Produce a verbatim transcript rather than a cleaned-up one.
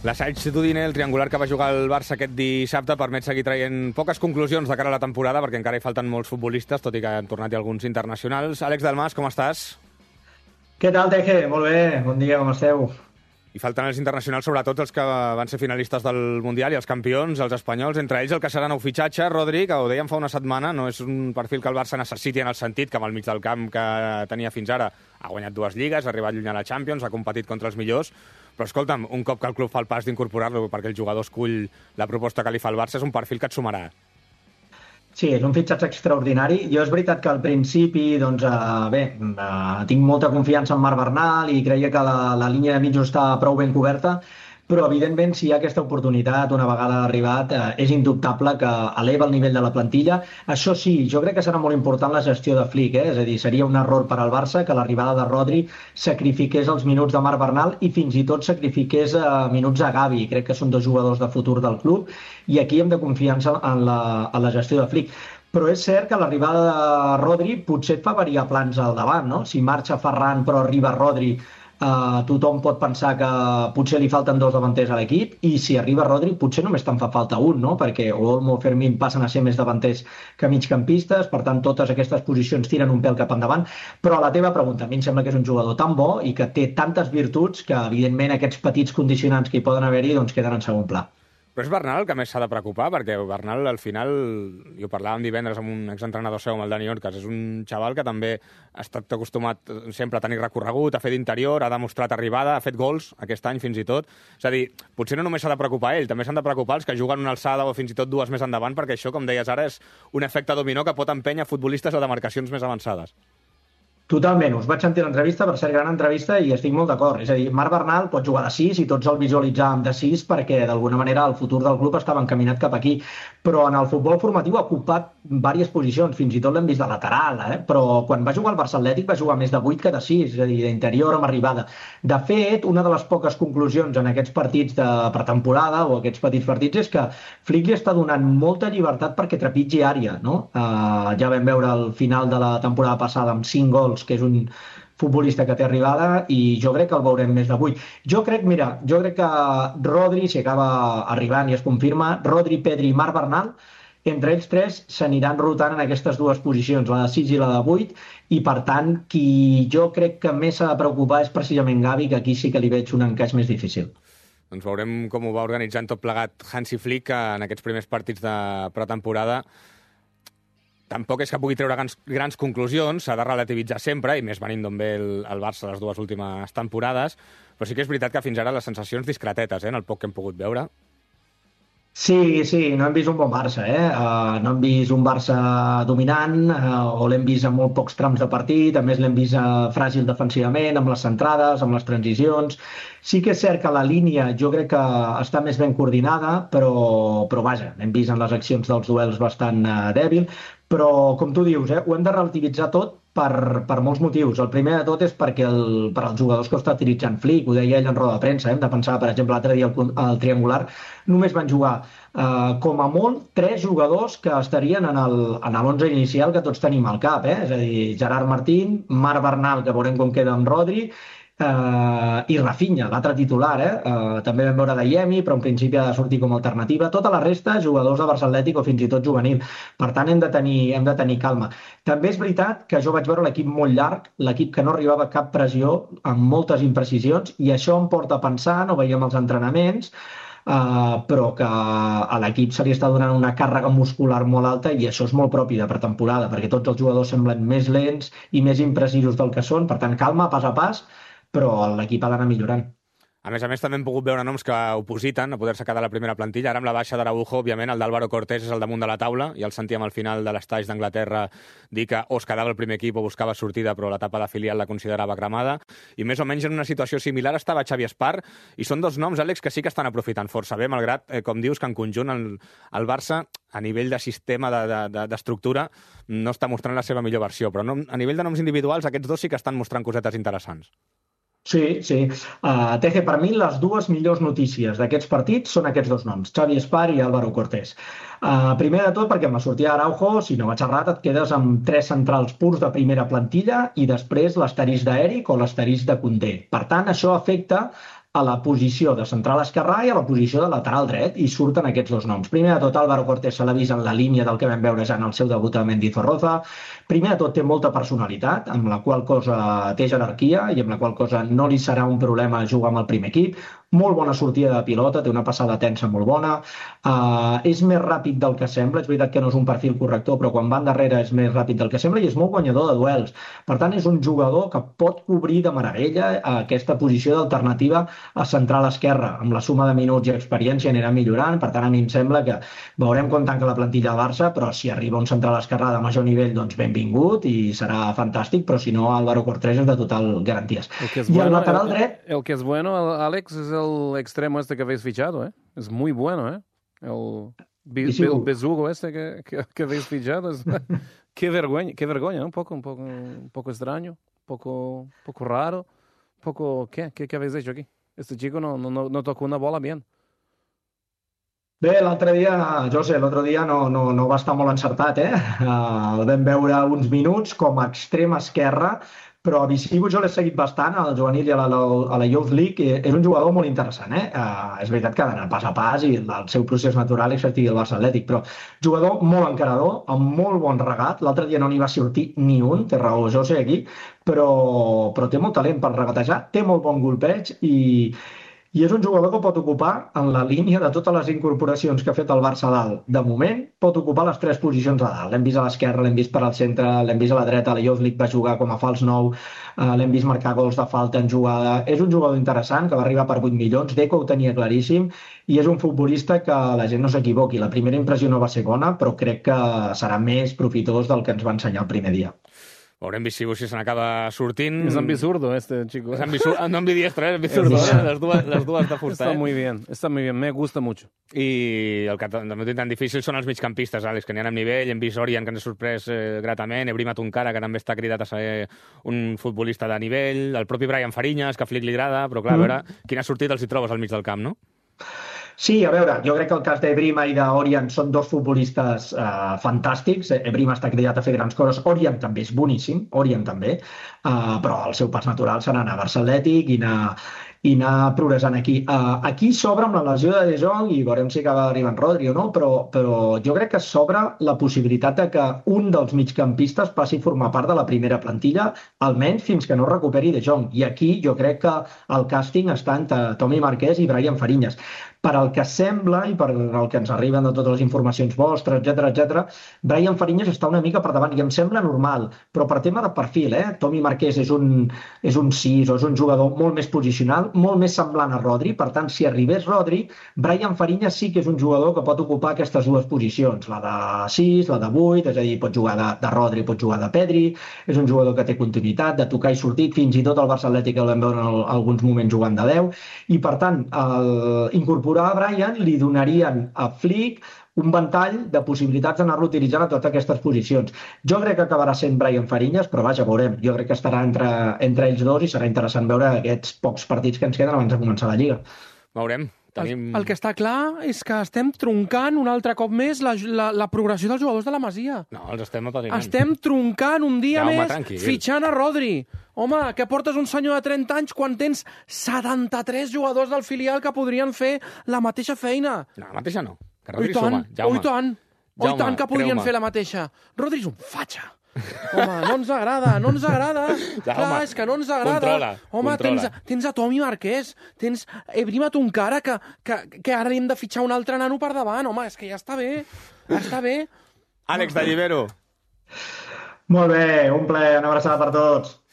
L'assaig d'Udine, el triangular que va jugar el Barça aquest dissabte, permet seguir traient poques conclusions de cara a la temporada, perquè encara hi falten molts futbolistes, tot i que han tornat alguns internacionals. Àlex Delmas, com estàs? Què tal, Teje? Molt bé, bon dia, com esteu? I falten els internacionals, sobretot els que van ser finalistes del Mundial i els campions, els espanyols, entre ells el que serà nou fitxatge, Rodri, que ho dèiem fa una setmana, no és un perfil que el Barça necessiti en el sentit que amb el mig del camp que tenia fins ara ha guanyat dues lligues, ha arribat lluny a la Champions, ha competit contra els millors, però escolta'm, un cop que el club fa el pas d'incorporar-lo perquè el jugador escull la proposta que li fa el Barça, és un perfil que et sumarà. Sí, és un fitxatge extraordinari. Jo és veritat que al principi, doncs, eh, bé, eh, tinc molta confiança en Marc Bernal i creia que la, la línia de mitjos està prou ben coberta, però evidentment si hi ha aquesta oportunitat una vegada arribat eh, és indubtable que eleva el nivell de la plantilla. Això sí, jo crec que serà molt important la gestió de Flick, eh? És a dir, seria un error per al Barça que l'arribada de Rodri sacrifiqués els minuts de Marc Bernal i fins i tot sacrifiqués eh, minuts a Gavi. Crec que són dos jugadors de futur del club i aquí hem de confiar en la, en la gestió de Flick. Però és cert que l'arribada de Rodri potser et fa variar plans al davant, no? Si marxa Ferran però arriba Rodri, Uh, tothom pot pensar que potser li falten dos davanters a l'equip i si arriba Rodri potser només te'n fa falta un, no? Perquè Olmo o Fermín passen a ser més davanters que migcampistes, per tant totes aquestes posicions tiren un pèl cap endavant, però a la teva pregunta, a mi em sembla que és un jugador tan bo i que té tantes virtuts que evidentment aquests petits condicionants que hi poden haver-hi doncs queden en segon pla. Però és Bernal el que més s'ha de preocupar, perquè Bernal, al final, i ho parlàvem divendres amb un exentrenador seu, amb el Dani Orcas, és un xaval que també ha estat acostumat sempre a tenir recorregut, a fer d'interior, ha demostrat arribada, ha fet gols aquest any fins i tot. És a dir, potser no només s'ha de preocupar ell, també s'han de preocupar els que juguen una alçada o fins i tot dues més endavant, perquè això, com deies ara, és un efecte dominó que pot empènyer futbolistes a demarcacions més avançades. Totalment, us vaig sentir l'entrevista, per ser gran entrevista, i estic molt d'acord. És a dir, Marc Bernal pot jugar de sis i tots el visualitzàvem de sis perquè d'alguna manera el futur del club estava encaminat cap aquí. Però en el futbol formatiu ha ocupat diverses posicions, fins i tot l'hem vist de lateral, eh? Però quan va jugar al Barça Atlètic va jugar més de vuit que de sis, és a dir, d'interior amb arribada. De fet, una de les poques conclusions en aquests partits de pretemporada o aquests petits partits és que Flick li està donant molta llibertat perquè trepitgi àrea, no? Uh, ja vam veure al final de la temporada passada amb cinc gols que és un futbolista que té arribada i jo crec que el veurem més de vuit. Jo crec, mira, jo crec que Rodri, si acaba arribant i es confirma, Rodri, Pedri i Marc Bernal, entre ells tres s'aniran rotant en aquestes dues posicions, la de sis i la de vuit, i per tant, qui jo crec que més s'ha de preocupar és precisament Gavi, que aquí sí que li veig un encaix més difícil. Doncs veurem com ho va organitzant tot plegat Hansi Flick en aquests primers partits de pretemporada. Tampoc és que pugui treure grans, grans conclusions, s'ha de relativitzar sempre, i més venint d'on ve el, el Barça les dues últimes temporades, però sí que és veritat que fins ara les sensacions discretetes, eh, en el poc que hem pogut veure. Sí, sí, no hem vist un bon Barça, eh? Uh, no hem vist un Barça dominant, uh, o l'hem vist en molt pocs trams de partit, a més l'hem vist uh, fràgil defensivament, amb les centrades, amb les transicions. Sí que és cert que la línia jo crec que està més ben coordinada, però, però vaja, hem vist en les accions dels duels bastant uh, dèbil, però com tu dius, eh, ho hem de relativitzar tot per, per molts motius. El primer de tot és perquè el, per als jugadors que ho està utilitzant Flick, ho deia ell en roda de premsa, eh, hem de pensar, per exemple, l'altre dia al, al triangular, només van jugar Uh, com a molt, tres jugadors que estarien en l'onze inicial que tots tenim al cap, eh? És a dir, Gerard Martín, Marc Bernal, que veurem com queda amb Rodri, uh, i Rafinha, l'altre titular, eh? Uh, també vam veure Dayemi, però en principi ha de sortir com a alternativa. Tota la resta, jugadors de Barça Atlètic o fins i tot juvenil. Per tant, hem de tenir, hem de tenir calma. També és veritat que jo vaig veure l'equip molt llarg, l'equip que no arribava a cap pressió, amb moltes imprecisions, i això em porta a pensar, no veiem els entrenaments, Uh, però que a l'equip se li està donant una càrrega muscular molt alta i això és molt propi de pretemporada, perquè tots els jugadors semblen més lents i més imprecisos del que són, per tant calma, pas a pas, però l'equip ha d'anar millorant. A més a més, també hem pogut veure noms que opositen a poder-se quedar a la primera plantilla. Ara amb la baixa d'Araujo, òbviament, el d'Álvaro Cortés és al damunt de la taula, i el sentíem al final de l'estage d'Anglaterra dir que o es quedava el primer equip o buscava sortida, però l'etapa de filial la considerava cremada. I més o menys en una situació similar estava Xavi Espart, i són dos noms, Àlex, que sí que estan aprofitant força bé, malgrat, eh, com dius, que en conjunt el, el Barça, a nivell de sistema, d'estructura, de, de, no està mostrant la seva millor versió, però no, a nivell de noms individuals, aquests dos sí que estan mostrant cosetes interessants. Sí, sí. Uh, Teje, per mi les dues millors notícies d'aquests partits són aquests dos noms, Xavi Espart i Álvaro Cortés. Uh, primer de tot perquè amb la sortida d'Araujo, si no vaig errat, et quedes amb tres centrals purs de primera plantilla i després l'asterisc d'Eric o l'asterisc de Koundé. Per tant, això afecta a la posició de central esquerrà i a la posició de lateral dret, i surten aquests dos noms. Primer de tot, Álvaro Cortés se l'ha vist en la línia del que vam veure ja en el seu debut a Mendizorroza. Primer de tot, té molta personalitat, amb la qual cosa té jerarquia i amb la qual cosa no li serà un problema jugar amb el primer equip. Molt bona sortida de pilota, té una passada tensa molt bona, uh, és més ràpid del que sembla, és veritat que no és un perfil corrector, però quan va endarrere és més ràpid del que sembla i és molt guanyador de duels. Per tant, és un jugador que pot cobrir de meravella aquesta posició d'alternativa a central esquerra. Amb la suma de minuts i experiència anirà millorant, per tant, a mi em sembla que veurem com tanca la plantilla del Barça, però si arriba un central esquerrà de major nivell, doncs benvingut i serà fantàstic, però si no, Álvaro Cortés és de total garanties. I bueno, el lateral el, dret... El que es bueno, Alex, es el extremo este que habéis fichado, ¿eh? Es muy bueno, ¿eh? El, Be sí, el besugo este que, que, que habéis fichado. Es... qué vergüenza, qué vergüenza, ¿no? Un poco, un poco, un poco extraño, un poco, un poco raro, un poco... ¿Qué? ¿Qué, qué habéis hecho aquí? Este chico no, no, no tocó una bola bien. Bé, l'altre dia, José, l'altre dia no, no, no va estar molt encertat, eh? Uh, el vam veure uns minuts com a extrem esquerra, però a Visivo jo l'he seguit bastant, al juvenil i a la, a la Youth League, és un jugador molt interessant, eh? Uh, és veritat que ha d'anar pas a pas i el seu procés natural és que estigui al Barça Atlètic, però jugador molt encarador, amb molt bon regat, l'altre dia no n'hi va sortir ni un, té raó José aquí, però, però té molt talent per regatejar, té molt bon golpeig i... I és un jugador que pot ocupar, en la línia de totes les incorporacions que ha fet el Barça a dalt, de moment, pot ocupar les tres posicions a dalt. L'hem vist a l'esquerra, l'hem vist per al centre, l'hem vist a la dreta, a la Youth League va jugar com a fals nou, eh, l'hem vist marcar gols de falta en jugada. És un jugador interessant, que va arribar per vuit milions, Deco ho tenia claríssim, i és un futbolista que la gent no s'equivoqui. La primera impressió no va ser bona, però crec que serà més profitós del que ens va ensenyar el primer dia. Veurem Visivo si se n'acaba sortint. És ambisurdo, este chico. Es ambisurdo, no ambidiestro, es ambisurdo. Eh? Les, dues, les dues de fusta. Està eh? muy bien, està muy bien, me gusta mucho. I el que també ho tinc tan difícil són els migcampistes, Àlex, que n'hi ha amb nivell. Hem vist Orian, que ens ha sorprès eh, gratament, Ebrima Tunkara, que també està cridat a ser un futbolista de nivell, el propi Brian Fariñas, que a Flick li agrada, però clar, mm. a veure quina sortida els hi trobes al mig del camp, no? Sí, a veure, jo crec que el cas d'Ebrima i d'Orian són dos futbolistes eh, fantàstics. Ebrima està cridat a fer grans coses, Orian també és boníssim, Orian també, eh, però el seu pas natural serà anar a Barça Atlètic i anar, i anar progressant aquí. Uh, aquí s'obre amb la lesió de De Jong i veurem si acaba arribant Rodri o no, però, però jo crec que s'obre la possibilitat de que un dels migcampistes passi a formar part de la primera plantilla, almenys fins que no recuperi De Jong. I aquí jo crec que el càsting està entre Tommy Marquès i Brian Fariñas. Per al que sembla i per el que ens arriben de totes les informacions vostres, etcètera, etcètera, Brian Fariñas està una mica per davant i em sembla normal, però per tema de perfil, eh? Tommy Marquès és un, és un sis o és un jugador molt més posicional, molt més semblant a Rodri, per tant, si arribés Rodri, Brian Fariñas sí que és un jugador que pot ocupar aquestes dues posicions, la de sis, la de vuit, és a dir, pot jugar de, de Rodri, pot jugar de Pedri, és un jugador que té continuïtat, de tocar i sortir, fins i tot el Barça Atlètic el vam veure en el, alguns moments jugant de deu, i per tant, el, incorporar a Brian li donarien a Flick un ventall de possibilitats d'anar-lo utilitzant a totes aquestes posicions. Jo crec que acabarà sent Brian Fariñas, però vaja, veurem. Jo crec que estarà entre, entre ells dos i serà interessant veure aquests pocs partits que ens queden abans de començar la Lliga. Veurem. Tenim... El, el que està clar és que estem troncant un altre cop més la, la, la progressió dels jugadors de la Masia. No, els estem apadrinant. Estem troncant un dia ja, home, més, tranquil. fitxant a Rodri. Home, que portes un senyor de trenta anys quan tens setanta-tres jugadors del filial que podrien fer la mateixa feina. No, la mateixa no. Que Rodri oh, tant, suma. Jaume. oh, tant, oh, Jaume, tant que podrien fer la mateixa. Rodri és un fatxa. Home, no ens agrada, no ens agrada. Ja, Clar, home, és que no ens agrada. Controla, home, controla. Tens, tens a Tommy Marquès, tens Ebrima Tunkara, que, que, que ara hem de fitxar un altre nano per davant. Home, és que ja està bé, ja està bé. Àlex de Llibero. Molt bé, un plaer, una abraçada per tots.